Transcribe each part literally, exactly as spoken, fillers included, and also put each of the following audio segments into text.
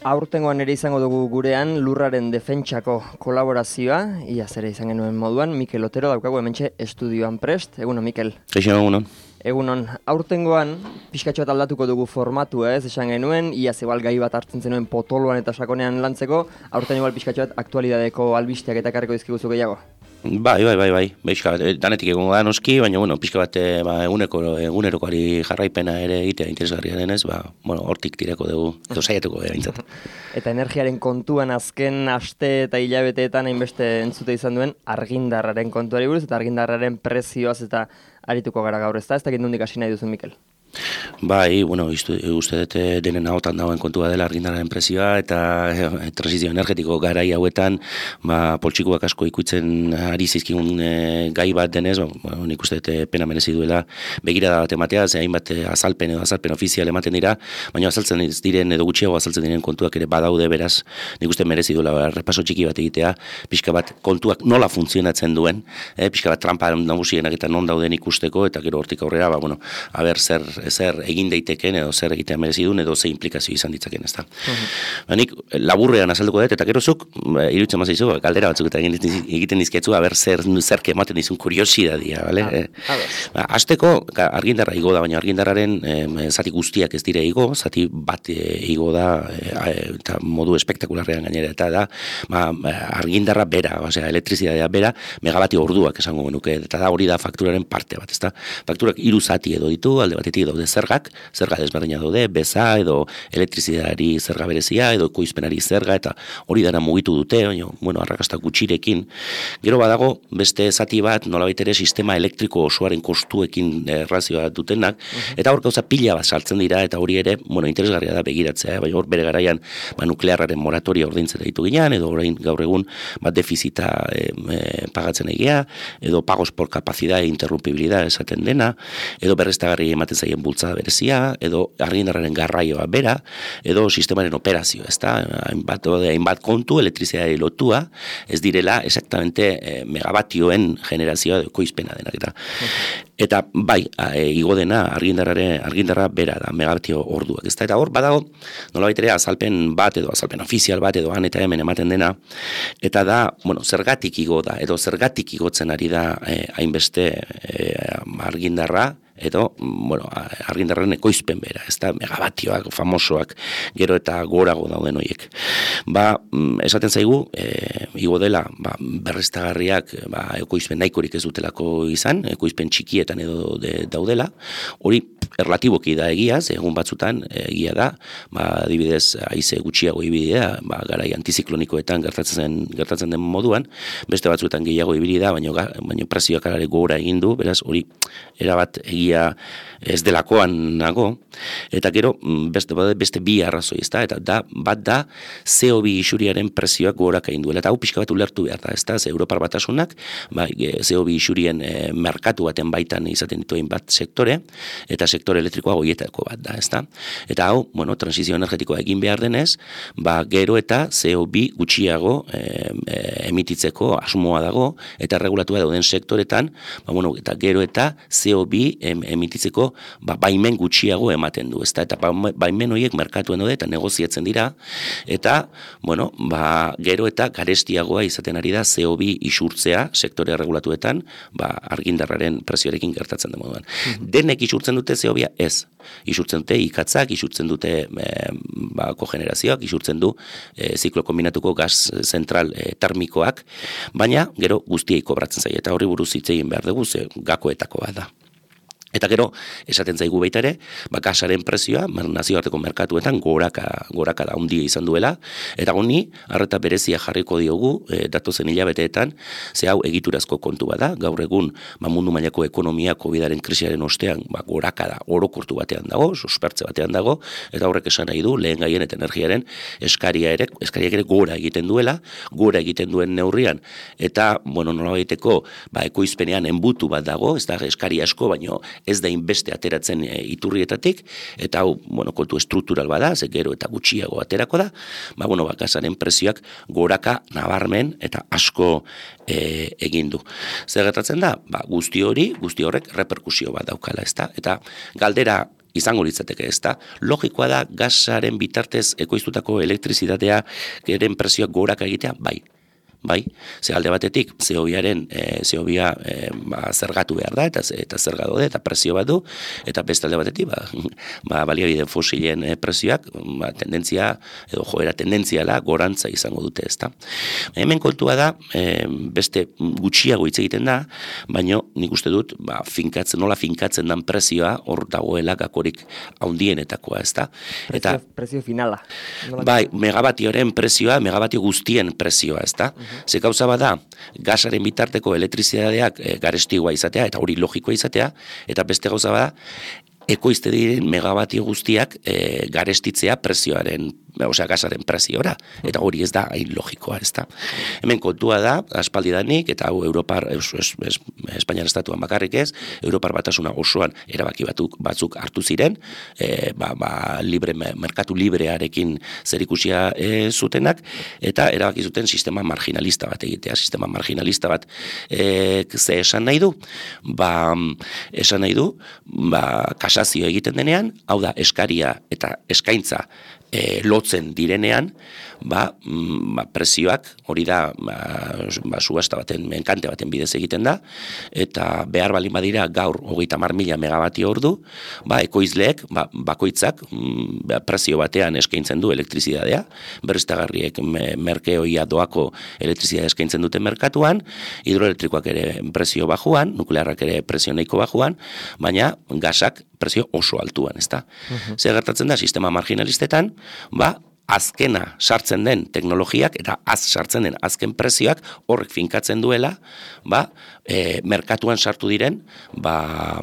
Aurtengoan ere izango dugu gurean lurraren defentsako kolaborazioa, ia zere izan genuen moduan, Mikel Otero daukagu hementxe estudioan prest. Egunon, Mikel. Kaixo, egunon. Egunon, aurtengoan pixkatxo bat aldatuko dugu formatua, ez esan genuen, ia zebal gai bat hartzen zenuen potoloan eta sakonean lantzeko, aurten igual pixkatxo bat aktualidadeko albisteak eta karriko dizkiguzu gehiago. Bai, bai, bai, bai, pixka bat, danetik egongo da noski, baina, bueno, pixka bat ba, eguneko, egunerokoari jarraipena ere egitea interesgarria denez, ba, bueno, hortik tireko dugu, edo saiatuko gara bintzat. Eta energiaren kontuan azken aste eta hilabeteetan hainbeste entzute izan duen argindarraren kontuari buruz, eta argindarraren prezioaz eta arituko gara gaur, ez da? Ez dakit nondik hasi nahi duzu, Mikel? Bai, bueno, uste dut denen ahotan dagoen kontua dela argindarraren prezioa eta e, transizio energetiko garai hauetan ba, poltsikuak asko ikutzen ari zizkigun e, gai bat denez, ba, nik uste dut pena merezi duela begirada bat ematea, ze hainbat azalpen edo azalpen ofizial ematen dira, baina azaltzen ez diren edo gutxiago azaltzen diren kontuak ere badaude, beraz, nik uste merezi duela ba, repaso txiki bat egitea, pixka bat kontuak nola funtzionatzen duen, e, pixka bat trampa nagusienak eta non dauden ikusteko, eta gero hortik aurrera, ba, bueno, haber zer zer egin daiteken edo zer egitea merezi duen edo ze implikazio izan ditzaken, ezta. Uh-huh. Nik laburrean azalduko dut eta gero zuk iruditzen mazaizu galdera batzuk eta egiten dizkiatzu aber zer zerke ematen dizun kuriosidadia, bale? Ah, eh, ba, hasteko argindarra igo da, baina argindarraren eh, zati guztiak ez dire igo, zati bat eh, igo da eh, eta modu espektakularrean gainera eta da, ba, argindarra bera, osea elektrizitatea bera megabati orduak esango genuke eta da hori da fakturaren parte bat, ezta. Fakturak hiru zati edo ditu, alde batetik daude zergak, zerga desberdina daude, beza edo elektrizitateari zerga berezia edo ekoizpenari zerga eta hori dara mugitu dute, baina, bueno, arrakasta gutxirekin. Gero badago beste zati bat, nolabait ere sistema elektriko osoaren kostuekin errazioa dutenak, uh-huh. Eta hor gauza pila bat saltzen dira eta hori ere, bueno, interesgarria da begiratzea, bai hor bere garaian ba, nuklearraren moratoria ordaintzen ditu ginean, edo orain gaur egun bat defizita e, e, pagatzen egia, edo pagos por capacidad e interrumpibilidad esaten dena, edo berreztagarri ematen zaien bultzada berezia, edo argindarraren garraioa bera, edo sistemaren operazio, ezta? Hainbat, hainbat kontu, elektrizitateari lotua, ez direla exactamente eh, megabatioen generazioa edo ekoizpena denak eta. Okay. Eta bai, e, igo dena argindarraren argindarra bera da, megabatio orduak, ezta? Eta hor badago nolabait ere azalpen bat edo azalpen ofizial bat edo han eta hemen ematen dena, eta da, bueno, zergatik igo da, edo zergatik igotzen ari da eh, hainbeste eh, argindarra, edo, bueno, argindarren ekoizpen bera, ez da, megabatioak, famosoak, gero eta gorago dauden horiek. Ba, esaten zaigu, e, igo dela, ba, berreztagarriak, ba, ekoizpen nahikorik ez dutelako izan, ekoizpen txikietan edo de, daudela, hori erlatiboki da egiaz, egun batzutan egia da, ba, adibidez, haize gutxiago ibidea, ba, garai antiziklonikoetan gertatzen, gertatzen den moduan, beste batzuetan gehiago ibili da, baina, baina prezioak alare gora egin du, beraz, hori erabat egia ez delakoan nago, eta gero beste, beste bi arrazoi, ez da, eta da, bat da C O bi isuriaren prezioak gorak egin duela, eta hau pixka bat ulertu behar da, ez da, ze Europar Batasunak, ba, C O bi isurien e, merkatu baten baitan izaten dituen bat sektore, eta sektore elektrikoa goietako bat da, ez da, eta hau, bueno, transizio energetikoa egin behar denez, ba, gero eta C O bi gutxiago e, e, emititzeko asmoa dago, eta regulatua dauden sektoretan, ba, bueno, eta gero eta C O bi em, emititzeko ba, baimen gutxiago ematen du, ezta? Eta baimen horiek merkatuen daude eta negoziatzen dira, eta, bueno, ba, gero eta garestiagoa izaten ari da C O bi isurtzea sektore regulatuetan, ba, argindarraren prezioarekin gertatzen den moduan. Mm-hmm. Denek isurtzen dute C O bia? Ez. Isurtzen dute ikatzak, isurtzen dute e, ba, kogenerazioak, isurtzen du e, ziklo kombinatuko gaz zentral e, termikoak, baina gero guztiei kobratzen zaie, eta horri buruz hitz egin behar dugu, ze gakoetako bat da. Eta gero, esaten zaigu baita ere, ba, gasaren prezioa, nazioarteko merkatuetan goraka, goraka da handia izan duela, eta honi, arreta berezia jarriko diogu, e, datozen hilabeteetan, ze hau egiturazko kontu bada, gaur egun, ba, mundu mailako ekonomia COVIDaren krisiaren ostean, ba, goraka da, orokortu batean dago, suspertze batean dago, eta horrek esan nahi du, lehen gaien eta energiaren eskaria ere, eskariak ere gora egiten duela, gora egiten duen neurrian, eta, bueno, nolabaiteko, ba, ekoizpenean enbutu bat dago, ez da eskari asko, baino, ez da inbeste ateratzen e, iturrietatik, eta hau, bueno, kontu estruktural bada, ze gero eta gutxiago aterako da, ba, bueno, ba, gasaren prezioak goraka nabarmen eta asko e, egin du. Zer gertatzen da? Ba, guzti hori, guzti horrek reperkusio bat daukala, ezta? Eta galdera izango litzateke, ezta? Logikoa da gasaren bitartez ekoiztutako elektrizitatea eren prezioak goraka egitea, bai. Bai, ze alde batetik, C O biaren, e, C O bia e, ba, zergatu behar da, eta, eta zerga dode, eta prezio bat du, eta beste alde batetik, ba, ba, baliabide fosilen e, prezioak, ba, tendentzia, edo joera tendentziala, gorantza izango dute, ezta. Hemen kontua da, e, beste gutxiago hitz egiten da, baina nik uste dut, ba, finkatzen, nola finkatzen dan prezioa, hor dagoela gakorik haundienetakoa, ezta. Prezio, eta, prezio finala. Nola bai, megabatioren prezioa, megabatio guztien prezioa, ezta. Uh-huh. Ze gauza bada, gasaren bitarteko elektrizitateak e, garestikoa izatea, eta hori logikoa izatea, eta beste gauza bada, ekoizte diren megabatio guztiak e, garestitzea prezioaren, osea gasaren preziora, eta hori ez da hain logikoa, ez da. Hemen kontua da, aspaldidanik, eta hau Europar, es, es, es, Espainiar estatuan bakarrik ez, Europar batasuna osoan erabaki batzuk, batzuk hartu ziren, e, ba, ba, libre, merkatu librearekin zerikusia e, zutenak, eta erabaki zuten sistema marginalista bat egitea, sistema marginalista bat e, ze esan nahi du, ba, esan nahi du, ba, kasazio egiten denean, hau da eskaria eta eskaintza e, lotzen direnean, ba, ba, prezioak hori da ba, ba, subasta baten, menkante baten bidez egiten da, eta behar balin badira gaur hogeita hamar mila megabatio ordu, ba, ekoizleek, ba, bakoitzak ba, prezio batean eskaintzen du elektrizitatea, berriztagarriek me, merkeoia doako elektrizitatea eskaintzen dute merkatuan, hidroelektrikoak ere prezio bajuan, nuklearrak ere prezio nahiko bajuan, baina gasak prezio oso altuan, ezta. Uh-huh. Zer gertatzen da, sistema marginalistetan, ba, azkena sartzen den teknologiak eta az sartzen den azken prezioak horrek finkatzen duela, ba, e, merkatuan sartu diren, ba,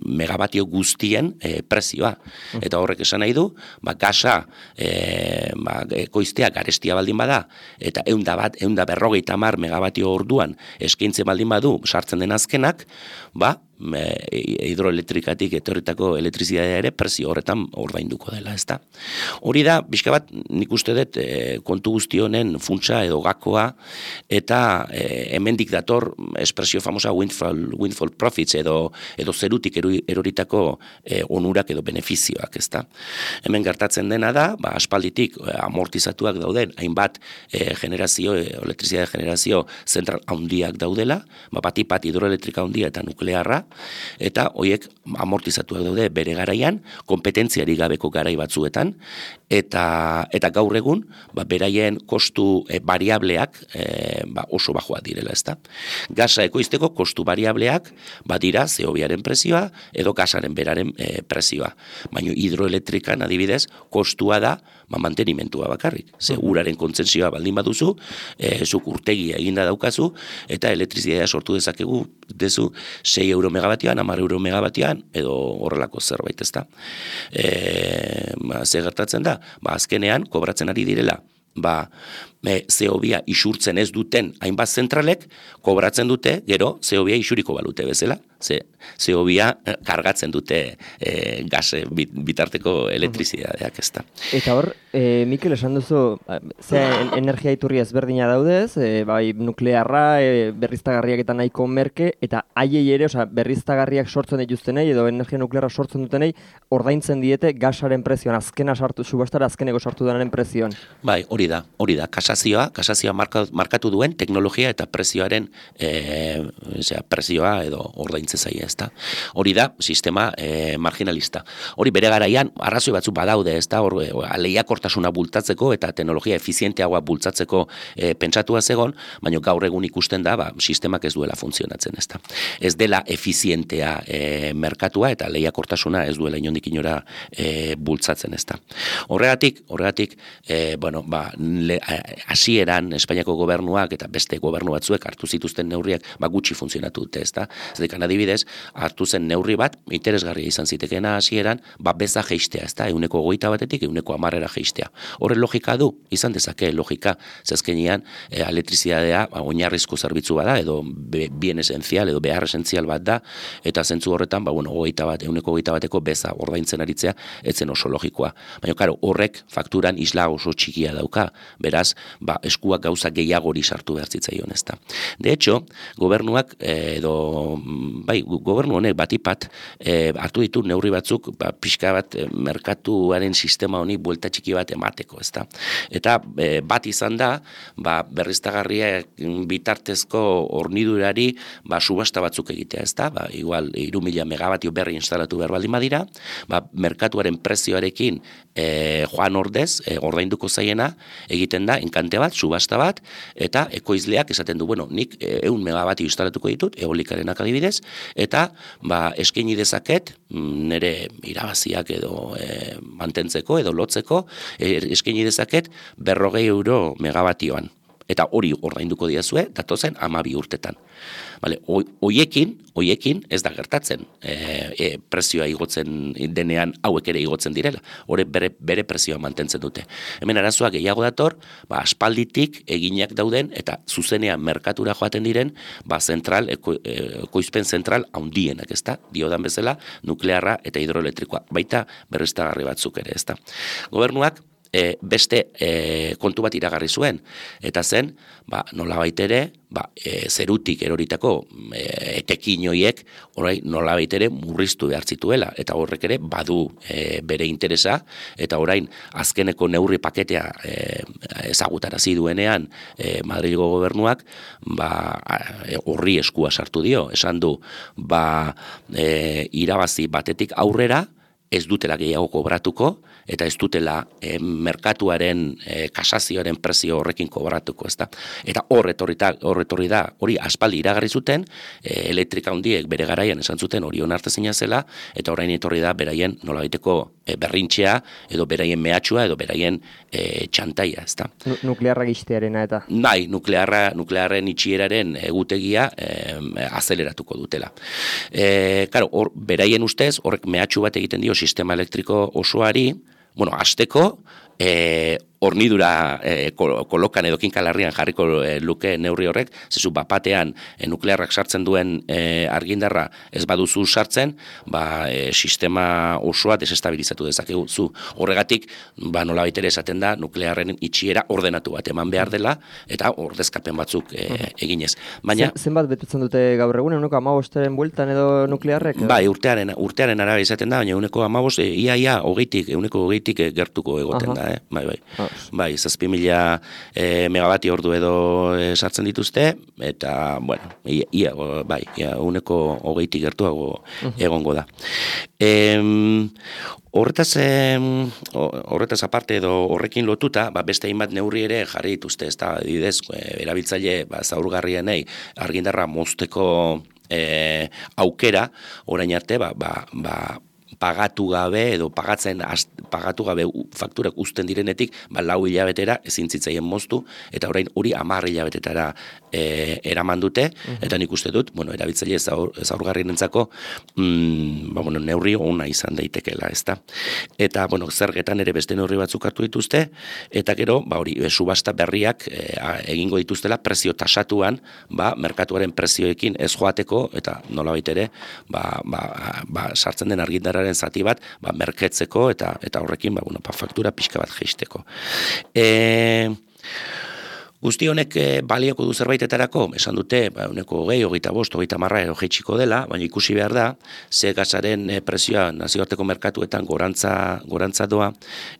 megabatio guztien e, prezioa. Eta horrek esan nahi du, ba, gasa e, ba, ekoiztea garestia baldin bada, eta eunda bat, eunda berrogeita hamar megabatio orduan eskaintze baldin badu sartzen den azkenak, ba, hidroelektrikatik etorritako elektrizitatea ere prezio horretan ordainduko dela, ezta. Hori da, bizka bat, nik uste dut e, kontu guzti honen funtsa edo gakoa, eta e, hemendik dator espresio famosa windfall, windfall profits edo, edo zerutik eroritako e, onurak edo benefizioak, ezta. Hemen gertatzen dena da, ba, aspalditik e, amortizatuak dauden, hainbat e, generazio, e, elektrizitatea generazio zentral handiak daudela, ba, batipat hidroelektrika handia eta nuklearra, eta hoiek amortizatuak daude bere garaian, kompetentziari gabeko garai batzuetan, eta, eta gaur egun, ba, beraien kostu e, variableak e, ba, oso bajoa direla, ezta. Gasa ekoizteko kostu variableak badira C O biaren prezioa edo gasaren beraren e, prezioa. Baina hidroelektrikan adibidez, kostua da ba, mantenimentua bakarrik. Ze uraren kontzentzioa baldin baduzu, e, zuk urtegia eginda daukazu, eta elektrizitatea sortu dezakegu dezu sei euro megabatioan, hamar euro megabatioan, edo horrelako zerbait, ezta. E, ba, ze gertatzen da, ba, azkenean, kobratzen ari direla, ba, e, C O bia isurtzen ez duten hainbat zentralek, kobratzen dute, gero, C O bia isuriko balute bezala, ze C O bia kargatzen dute e, gas bitarteko elektrizitateak, ezta. Eta hor, e, Mikel, esan duzu, ze energia iturri ezberdina daudez, e, bai nuklearra, e, berriztagarriak eta nahiko merke, eta haiei ere, osea, berriztagarriak sortzen dituztenei, edo energia nuklearra sortzen dutenei, ordaintzen diete gasaren prezioan, azkena sartu, subastara azkeneko sartu denaren prezioan. Bai, hori da, hori da, kasazioa, kasazioa marka, markatu duen teknologia eta prezioaren e, osea, prezioa edo ordaintzen zaia, ezta. Hori da, sistema e, marginalista. Hori bere garaian, arrazoi batzuk badaude, ezta, hor, lehiakortasuna bultzatzeko eta teknologia efizienteagoa bultzatzeko e, pentsatua zegon, baina gaur egun ikusten da, ba, sistemak ez duela funtzionatzen, ezta. Ez dela efizientea e, merkatua eta lehiakortasuna ez duela inondik inora e, bultzatzen, ezta. Horregatik, horregatik, e, bueno, ba, le, hasieran Espainiako gobernuak eta beste gobernu batzuek hartu zituzten neurriak, ba, gutxi funtzionatu dute, ezta. Zedekan adibidez, hartu zen neurri bat, interesgarria izan zitekeena hasieran, ba, beza jeistea, ezta, euneko goita batetik, euneko amarrera jeistea. Horren logika du, izan dezake logika, zezkenian, e, elektrizitatea ba, oinarrizko zerbitzu bada, edo be, bien esenzial, edo behar esentzial bat da, eta zentzu horretan, ba, bueno, goita bat, euneko goita bateko beza ordaintzen aritzea, etzen oso logikoa. Baina, karo, horrek fakturan isla oso txikia dauka, beraz, ba, eskuak gauza gehiagori sartu behar zitzaion, ezta. De hecho, gobernuak, edo bai, gobernu honek batipat e, hartu ditu neurri batzuk ba, pixka bat e, merkatuaren sistema honi buelta txiki bat emateko, ezta. Eta e, bat izan da, ba, berriztagarriak bitartezko hornidurari ba, subasta batzuk egitea, ezta. Ba, igual, hiru mila megabatio berri instalatu behar baldin badira, ba, merkatuaren prezioarekin e, joan ordez, e, ordainduko zaiena, egiten da, enkante bat, subasta bat, eta ekoizleak esaten du, bueno, nik ehun megabatio instalatuko ditut, eolikarenak adibidez, eta ba, eskaini dezaket, nire irabaziak edo e, mantentzeko edo lotzeko, e, eskaini dezaket berrogei euro megabatioan. Eta hori ordainduko diazue, datozen hamabi urtetan. Vale, hoiekin, hoiekin ez da gertatzen e, e, prezioa igotzen denean hauek ere igotzen direla. Hore bere, bere prezioa mantentzen dute. Hemen arazoa gehiago dator, ba, aspalditik eginak dauden eta zuzenean merkatura joaten diren, ba, zentral, eko, ekoizpen zentral handienak, ezta? Diodan bezala, nuklearra eta hidroelektrikoa. Baita berriztagarri batzuk ere, ezta? Gobernuak E, beste e, kontu bat iragarri zuen, eta zen, ba, nolabait ere, ba, e, zerutik eroritako e, etekin hoiek, orai nolabait ere murriztu behar zituela, eta horrek ere badu e, bere interesa, eta orain azkeneko neurri paketea e, ezagutarazi duenean e, Madrilgo gobernuak, ba, horri eskua sartu dio, esan du, ba, e, irabazi batetik aurrera, ez dutela gehiago kobratuko, eta ez dutela e, merkatuaren e, kasazioaren prezio horrekin kobratuko, ezta. Eta hor etorri da, hori aspaldi iragarri zuten, e, elektrika handiek bere garaian esan zuten hori onartezina zela, eta orain etorri da beraien nolabaiteko e, berrintxea, edo beraien mehatxua, edo beraien e, txantaia, ezta. Nuklearra giztearena eta? Bai, nuklearra, nuklearren itxieraren egutegia e, azeleratuko dutela. E, karo, hor, beraien ustez, horrek mehatxu bat egiten dio sistema elektriko osoari, bueno, hasteko, e, hornidura e, kolokan edo kinkalarrian jarriko e, luke neurri horrek, zezu bapatean e, nuklearrak sartzen duen e, argindarra ez baduzu sartzen, ba, e, sistema osoa desestabilizatu dezakegu zu. Horregatik, ba, nolabait ere esaten da, nuklearren itxiera ordenatu bat eman behar dela, eta ordezkapen batzuk e, eginez. Baina, Zen, zenbat betetzen dute gaur egun, eguneko amabosteren bueltan edo nuklearrek? Edo? Bai, urtearen, urtearen araba izaten da, baina eguneko amabost, e, ia, ia, hogeitik, eguneko hogeitik gertuko egoten Aha. da, eh? Bai, bai. Ah. Bai, zazpi mila e, megabati ordu edo e, sartzen dituzte, eta, bueno, ia, ia bai, ia, uneko hogeitik gertuago uh-huh. egongo da. E, horretaz, e, horretaz aparte edo horrekin lotuta, ba, beste hainbat neurri ere jarri dituzte, ez da, didez, e, erabiltzaile, ba, zaurgarrienei argindarra mozteko e, aukera, orain arte, ba, ba, ba pagatu gabe edo pagatzen pagatu gabe fakturak uzten direnetik, ba, lau hilabetera ezin zitzaien moztu, eta orain hori hamar hilabetetara e, eraman dute, uh-huh. eta nik uste dut, bueno, erabiltzaile zaurgarrienentzako mm, ba, bueno, neurri ona izan daitekela, ezta. Eta, bueno, zergetan ere beste neurri batzuk hartu dituzte, eta gero, ba, hori, subasta berriak e, egingo dituztela prezio tasatuan, ba, merkatuaren prezioekin ez joateko, eta nolabait ere, ba, ba, ba, sartzen den argindarraren zati bat, ba, merketzeko eta eta horrekin, ba, bueno, ba, faktura pixka bat jeisteko. E, guzti honek e, balioko du zerbaitetarako, esan dute, ba, uneko hogei, hogeita bost, hogeita marra edo jeitsiko dela, baina ikusi behar da, ze gazaren e, prezioa nazioarteko merkatuetan gorantza, gorantza doa,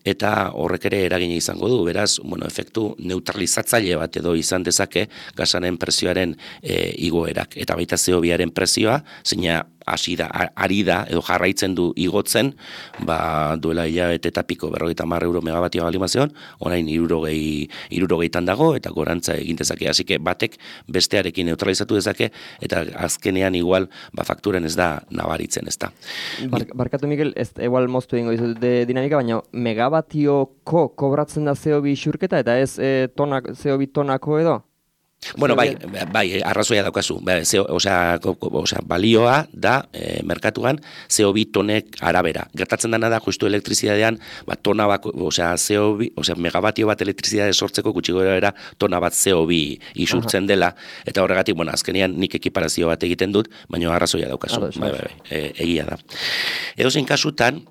eta horrek ere eragina izango du, beraz, bueno, efektu neutralizatzaile bat edo izan dezake gazaren prezioaren e, igoerak, eta baita C O biaren prezioa, zeina hasi da, ari da, edo jarraitzen du igotzen, ba, duela hilabete eta piko, berrogeita hamar euro megabatioa balimazion, orain hirurogei, hirurogeitan dago, eta gorantza egin dezake. Así que batek bestearekin neutralizatu dezake, eta azkenean igual, ba, fakturen ez da nabaritzen, ez da. Bar, barkatu, Mikel, ez igual moztu egingo dizut de dinamika, baina megabatioko kobratzen da C O bi xurketa, eta ez e, tonak, C O bi tonako edo? Bueno, bai, bai, arrazoia daukazu. Bai, osea, osea, balioa da e, merkatuan C O bi tonek arabera. Gertatzen dena da justu elektrizidadean, ba, tona bako, osea, C O bi, osea, megabatio bat elektrizidade sortzeko gutxi gorabehera tona bat C O bi isurtzen dela, eta horregatik, bueno, azkenean nik ekiparazio bat egiten dut, baina arrazoia daukazu. Bai, bai, bai, e, egia da. Edozein kasutan,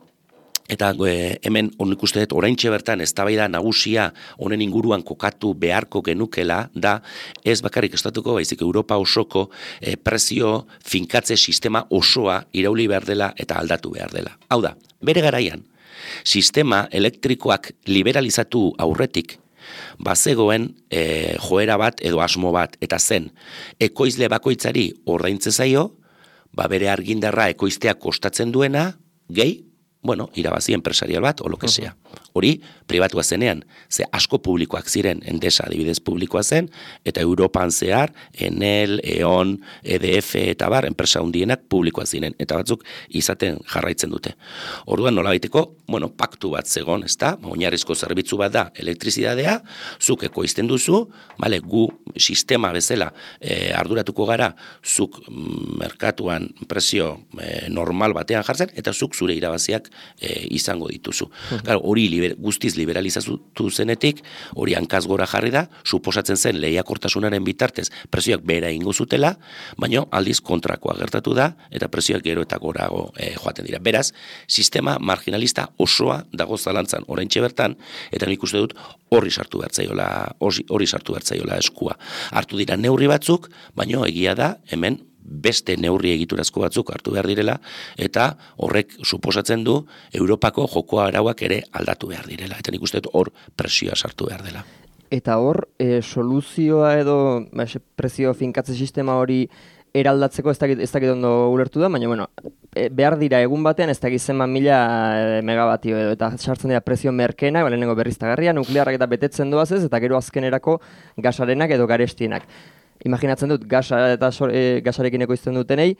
Eta e, hemen honik uste dut oraintxe bertan eztabaida nagusia honen inguruan kokatu beharko genukela da ez bakarrik estatuko baizik Europa osoko e, prezio finkatze sistema osoa irauli behar dela eta aldatu behar dela. Hau da, bere garaian, sistema elektrikoak liberalizatu aurretik bazegoen e, joera bat edo asmo bat eta zen ekoizle bakoitzari ordaintze zaio, ba bere argindarra ekoiztea kostatzen duena, gehi, bueno, irabazi enpresarial bat, o lo que sea. Hori, pribatua zenean, ze asko publikoak ziren, Endesa adibidez publikoa zen, eta Europan zehar, Enel, E.ON, E D F eta bar, enpresa hundienak publikoa ziren, eta batzuk izaten jarraitzen dute. Orduan nolabaiteko, bueno, paktu bat zegon, ezta? Oinarrizko zerbitzu bat da, elektrizidadea, zuk ekoizten duzu, bale, gu sistema bezala eh, arduratuko gara, zuk mm, merkatuan prezio eh, normal batean jartzen, eta zuk zure irabaziak eh, izango dituzu. Claro, hori liber, guztiz liberalizatu zenetik, hori hankaz gora jarri da, suposatzen zen lehiakortasunaren bitartez prezioak behera ingo zutela, baina aldiz kontrakoa gertatu da, eta prezioak gero eta gorago eh, joaten dira. Beraz, sistema marginalista osoa dago zalantzan oraintxe bertan, eta nik uste dut horri sartu bertzaiola, hori sartu bertzaiola eskua. Hartu dira neurri batzuk, baina egia da hemen beste neurri egiturazko batzuk hartu behar direla, eta horrek suposatzen du Europako joko arauak ere aldatu behar direla. Eta nik uste dut hor presioa sartu behar dela. Eta hor, e, soluzioa edo ba, prezio finkatze sistema hori eraldatzeko ez dakit, ez dakit ondo ulertu da, baina bueno, e, behar dira egun batean ez dakit zenbat mila e, megabatio edo, eta sartzen dira prezio merkenak, lehenengo berriztagarria, nuklearrak eta betetzen doaz ez, eta gero azkenerako gasarenak edo garestienak. Imaginatzen dut, gasa eta so, e, gasarekin ekoizten dutenei,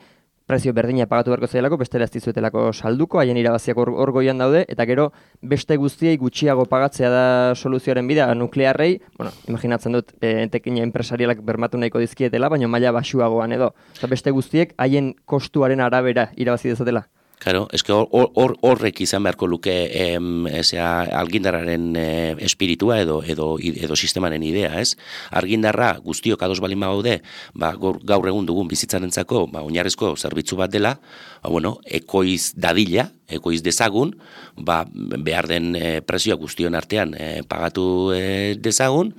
prezio berdina pagatu beharko zailako, bestela ez dizuetelako salduko, haien irabaziak hor, hor goian daude, eta gero beste guztiei gutxiago pagatzea da soluzioaren bidea nuklearrei, bueno, imaginatzen dut, e, entekina enpresarialak bermatu nahiko dizkietela, baina maila basuagoan edo. Eta beste guztiek haien kostuaren arabera irabazi dezatela. Claro, eske hor, hor, horrek izan beharko luke em, esea, argindarraren eh, espiritua edo, edo, edo sistemaren idea, ez? Argindarra guztiok ados balin bagaude, ba, gaur, gaur egun dugun bizitzarentzako ba, oinarrizko zerbitzu bat dela, ba, bueno, ekoiz dadila, ekoiz dezagun, ba, behar den e, prezioa guztion artean e, pagatu e, dezagun,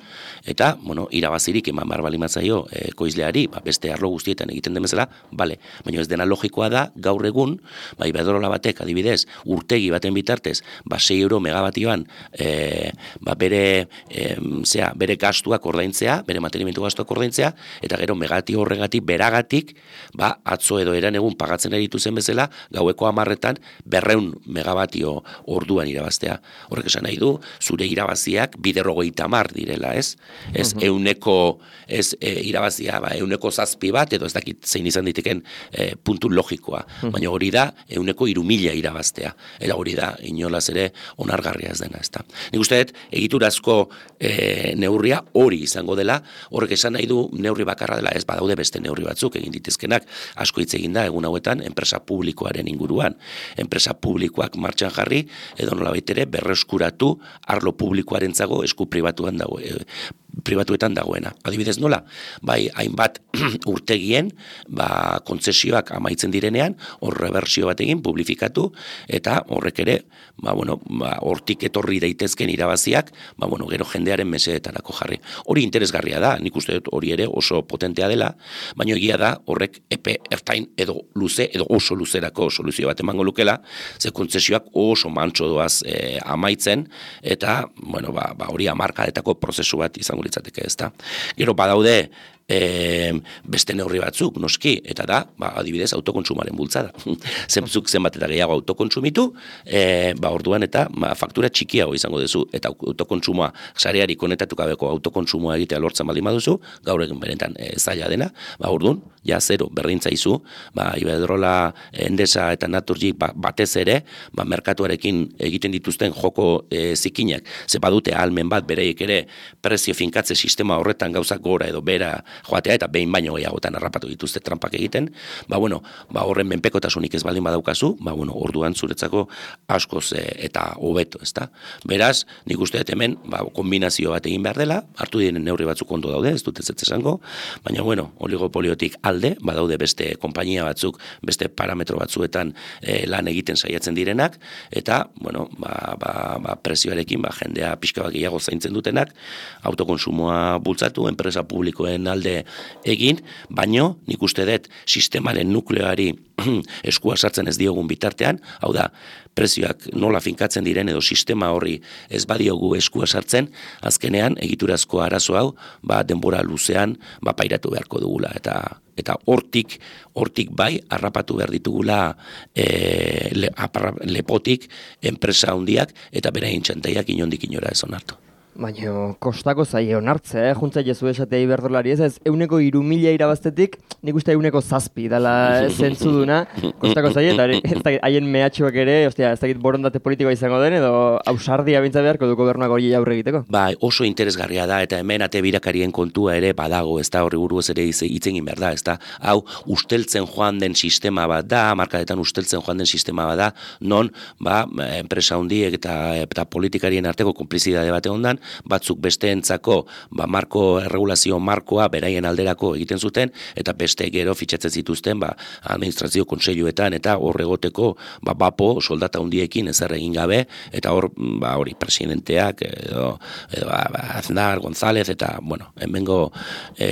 eta, bueno, irabazirik eman behar bali matzaio e, ekoizleari, ba, beste arlo guztietan egiten den bezala, bale, baina ez dena logikoa da, gaur egun, ba, Iberdrola batek, adibidez, urtegi baten bitartez, ba, sei euro megabatioan, e, ba, bere, e, zera, bere gastuak ordaintzea, bere mantenimientu gastuak ordaintzea, eta gero megatio horregatik, beragatik, ba, atzo edo eran egun pagatzen eritu zen bezala, gaueko hamarretan, berreun megabatio orduan irabaztea. Horrek esan nahi du, zure irabaziak biderrogeita hamar direla, ez? Ez uh-huh. euneko, ez e, irabazia, ba, euneko zazpi bat, edo ez dakit zein izan diteken e, puntu logikoa. Uh-huh. Baina hori da, euneko irumila irabaztea. Eta hori da, inolaz ere, onargarria ez dena, ez da. Nik uste dut, egiturazko e, neurria hori izango dela, horrek esan nahi du neurri bakarra dela, ez badaude beste neurri batzuk egin ditezkenak, asko hitz egin da, egun hauetan, enpresa publikoaren inguruan. Enpresa publikoak martxan jarri, edo nolabait ere berreskuratu arlo publikoarentzago esku pribatuan dago, e, pribatuetan dagoena. Adibidez nola, bai hainbat urtegien, ba kontzesioak amaitzen direnean, hor reversio bat egin, publifikatu, eta horrek ere, ba bueno, ba hortik etorri daitezken irabaziak, ba bueno, gero jendearen mesedetarako jarri. Hori interesgarria da, nik uste dut hori ere oso potentea dela, baina egia da horrek epe ertain edo luze edo oso luzerako soluzio bat emango lukela, ze kontzesioak oso mantso doaz e, amaitzen, eta bueno, ba, ba hori hamarkadetako prozesu bat izango litzateke, ezta. Gero badaude E, beste neurri batzuk, noski, eta da, ba, adibidez, autokontsumaren bultzada. Zentzuk zenbat eta gehiago autokontsumitu, e, ba, orduan eta ba, faktura txikiago izango duzu, eta autokontsumoa, sareari konetatu gabeko autokontsumoa egitea lortzen baldin baduzu, gaur egin benetan e, zaila dena, ba, orduan, ja, zero, berdintzaizu, ba, Iberdrola, Endesa eta Naturgy ba, batez ere, ba, merkatuarekin egiten dituzten joko e, zikinak, ze badute ahalmen bat bereiek ere prezio finkatze sistema horretan gauzak gora edo bera joatea, eta behin baino gehiagotan harrapatu dituzte trampak egiten, ba, bueno, ba, horren menpekotasunik ez baldin badaukazu, ba, bueno, orduan zuretzako askoz e, eta hobeto, ezta? Beraz, nik uste dut hemen, ba, kombinazio bat egin behar dela, hartu diren neurri batzuk ondo daude, ez dut ez ez esango, baina, bueno, oligopoliotik alde, badaude beste konpainia batzuk, beste parametro batzuetan e, lan egiten saiatzen direnak, eta, bueno, ba, ba, ba, prezioarekin, ba, jendea pixka bat gehiago zaintzen dutenak, autokonsumoa bultzatu, enpresa publikoen alde egin, baino, nik uste dut, sistemaren nukleoari eskua sartzen ez diogun bitartean, hau da, prezioak nola finkatzen diren edo sistema horri ez badiogu eskua sartzen, azkenean egiturazko arazo hau, ba, denbora luzean, ba, pairatu beharko dugula, eta eta hortik, hortik bai, harrapatu behar ditugula e, le, aparra, lepotik enpresa handiak eta beraien txantaiak inondik inora ez onartu. Baina kostako zaie onartzea, eh? Juntza jezu esatea iberdrolari ez, ez euneko iru mila irabaztetik, nik uste euneko zazpi dala zentzuduna, kostako zaie, eta ez da haien mehatxuak ere, ostia, ez dakit borondate politikoa izango den, edo ausardia bintza beharko du gobernuak hori aurre egiteko. Bai, oso interesgarria da, eta hemen ate birakarien kontua ere badago, ez da horri buruz ere hitz egin behar da, ez da, hau usteltzen joan den sistema bat da, markadetan usteltzen joan den sistema bat da, non, ba, enpresa hundiek eta, eta politikarien arteko konplizidade bate ondan, batzuk besteentzako ba, marko, erregulazio markoa beraien alderako egiten zuten, eta beste gero fitxatzen zituzten ba, administrazio kontseiluetan eta hor egoteko ba, bapo soldata hundiekin ezer egin gabe, eta hor ba, hori presidenteak edo, edo ba, Aznar, González, eta bueno, hemengo e,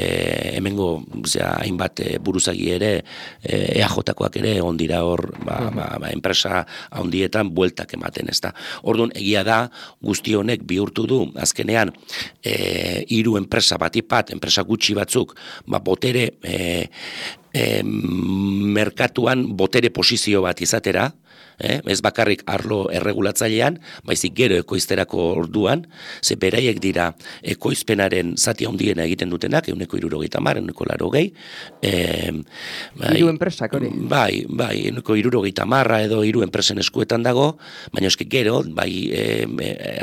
hemengo zera, hainbat e, buruzagi ere e, E A J-koak ere egon dira hor ba, ba, ba, enpresa handietan bueltak ematen, ez da. Orduan egia da guzti honek bihurtu du azkenean e, hiru enpresa batipat, enpresa gutxi batzuk, ba, botere e, e, merkatuan botere posizio bat izatera, eh? Ez bakarrik arlo erregulatzailean, baizik gero ekoizterako orduan, ze beraiek dira ekoizpenaren zati handiena egiten dutenak, euneko hirurogeita hamar, euneko laurogei. Eh, bai, hiru enpresak hori? Bai, bai, euneko hirurogeita hamarra edo hiru enpresen eskuetan dago, baina eske gero, bai eh,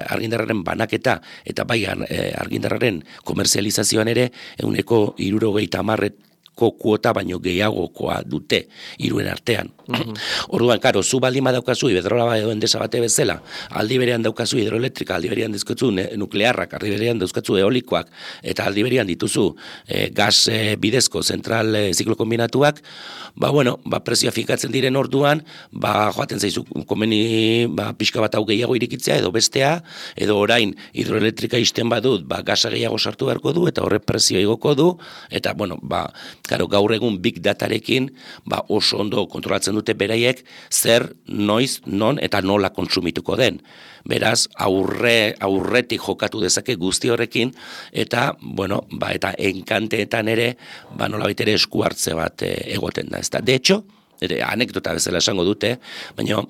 argindarraren banaketa eta bai eh, argindarraren komerzializazioan ere, euneko hirurogeita hamarret kuota baino gehiagokoa dute hiruen artean. Mm-hmm. Orduan, karo, zu baldin badaukazu Iberdrola edo Endesa bate bezala, aldi berean daukazu hidroelektrika, aldi berean dizkotzu nuklearrak, aldi berean dauzkatzu eolikoak, eta aldi berean dituzu e, gas e, bidezko zentral e, ziklo kombinatuak, ba, bueno, ba, prezioa finkatzen diren orduan, ba, joaten zaizu komeni ba, pixka bat hau gehiago irikitzea, edo bestea, edo orain hidroelektrika isten badut, ba, gasa gehiago sartu beharko du, eta horre prezioa igoko du, eta, bueno, ba, Karo, gaur egun big datarekin ba, oso ondo kontrolatzen dute beraiek zer, noiz, non eta nola kontsumituko den. Beraz, aurre, aurretik jokatu dezake guzti horrekin eta, bueno, ba, eta enkanteetan ere ba, nola baitere esku hartze bat e, egoten da. Ezta? De hecho, ere, anekdota bezala esango dute, baina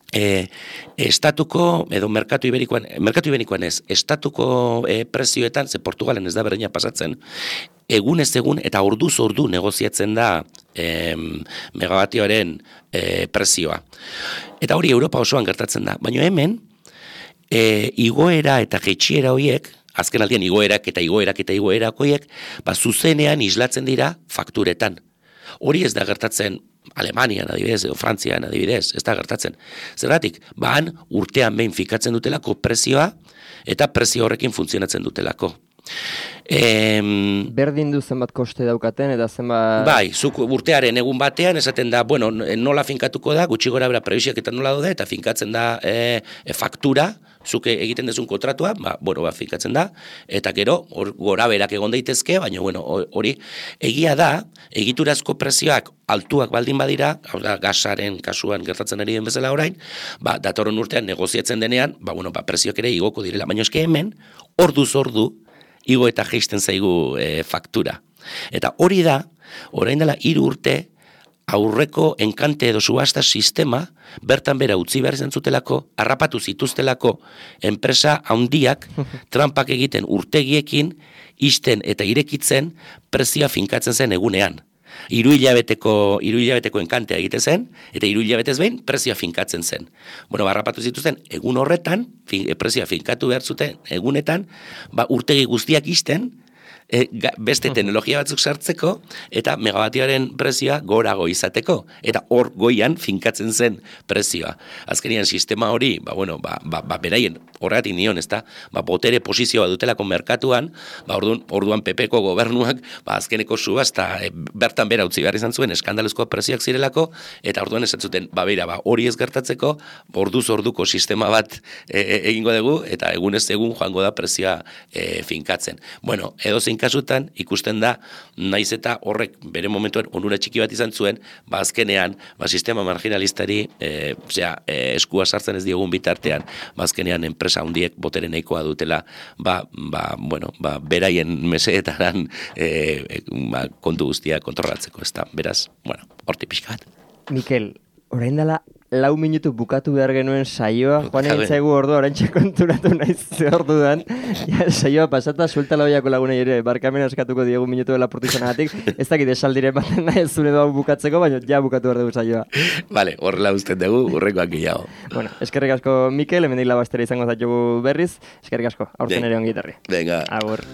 E, estatuko, edo merkatu iberikoan, merkatu iberikoan ez, estatuko e, prezioetan, ze Portugalen ez da berdina pasatzen, egun ez egun eta orduz ordu negoziatzen da e, megabatioaren e, prezioa. Eta hori Europa osoan gertatzen da, baina hemen, e, igoera eta jeitsiera horiek, azken aldian igoerak eta igoerak eta igoerak horiek, ba, zuzenean islatzen dira fakturetan. Hori ez da gertatzen Alemanian adibidez, edo Frantzian adibidez, ez da gertatzen. Zergatik, baan urtean behin fikatzen dutelako prezioa, eta prezio horrekin funtzionatzen dutelako. Em, Berdin du zenbat koste daukaten, eta zenbat... Bai, zuk urtearen egun batean, esaten da, bueno, nola finkatuko da, gutxi gora bera prebisiak eta nola daude, eta finkatzen da e, e, faktura, zuke egiten dezun kontratua, ba, bueno, ba, finkatzen da, eta gero, or, gora berak egon daitezke, baina, bueno, hori, egia da, egiturazko prezioak altuak baldin badira, hau da, gasaren kasuan gertatzen ari den bezala orain, ba, datorren urtean negoziatzen denean, ba, bueno, ba, prezioak ere igoko direla, baina eske hemen, orduz ordu, igo eta jeisten zaigu e, faktura. Eta hori da, orain dela hiru urte, aurreko enkante edo subasta sistema, bertan bera utzi behar izan zutelako, harrapatu zituztelako enpresa handiak, trampak egiten urtegiekin, isten eta irekitzen, prezioa finkatzen zen egunean. Hiru hilabeteko, hiru hilabeteko enkantea egiten zen, eta hiru hilabetez behin prezioa finkatzen zen. Bueno, barrapatu zituzten, egun horretan, fin, prezioa finkatu behar zuten, egunetan, ba, urtegi guztiak isten, e, ga, beste teknologia batzuk sartzeko, eta megawatioaren prezioa gorago izateko. Eta hor goian finkatzen zen prezioa. Azkenian sistema hori, ba, bueno, ba, ba, ba beraien, horregatik nion, ezta, ba, botere posizioa dutelako merkatuan, ba, orduan, orduan P P ko gobernuak, ba, azkeneko subasta, e, bertan bera utzi behar izan zuen, eskandaluzko prezioak zirelako, eta orduan esan zuten, ba, beira, ba, hori ez gertatzeko, orduz orduko sistema bat e, e, egingo dugu, eta egunez egun joango da prezioa e, finkatzen. Bueno, edo zein kasutan, ikusten da, naiz eta horrek bere momentuen onura txiki bat izan zuen, ba, azkenean, ba, sistema marginalistari, e, osea, e, eskua sartzen ez diogun bitartean, ba, azkenean enpresa handiek botere nahikoa dutela, ba, ba, bueno, ba, beraien meseetaran e, e, ba, kontu guztia kontrolatzeko, ez da, beraz, bueno, horti pixka bat. Mikel, orain dela lau minutu bukatu behar genuen saioa, joan egin zaigu ordua, orain konturatu naiz ze orduan, ja, saioa pasata, suelta lauiako lagunei ere, barkamen askatuko diegu minutu dela portizanagatik, ez dakit esaldiren baten nahi ez zure doa bukatzeko, baina ja bukatu behar dugu saioa. Vale, horrela usten dugu, urrekoak gehiago. Bueno, eskerrik asko Mikel, hemendik labastera izango zaitu berriz, eskerrik asko, aurten ere ongi etorri. Venga. Agur.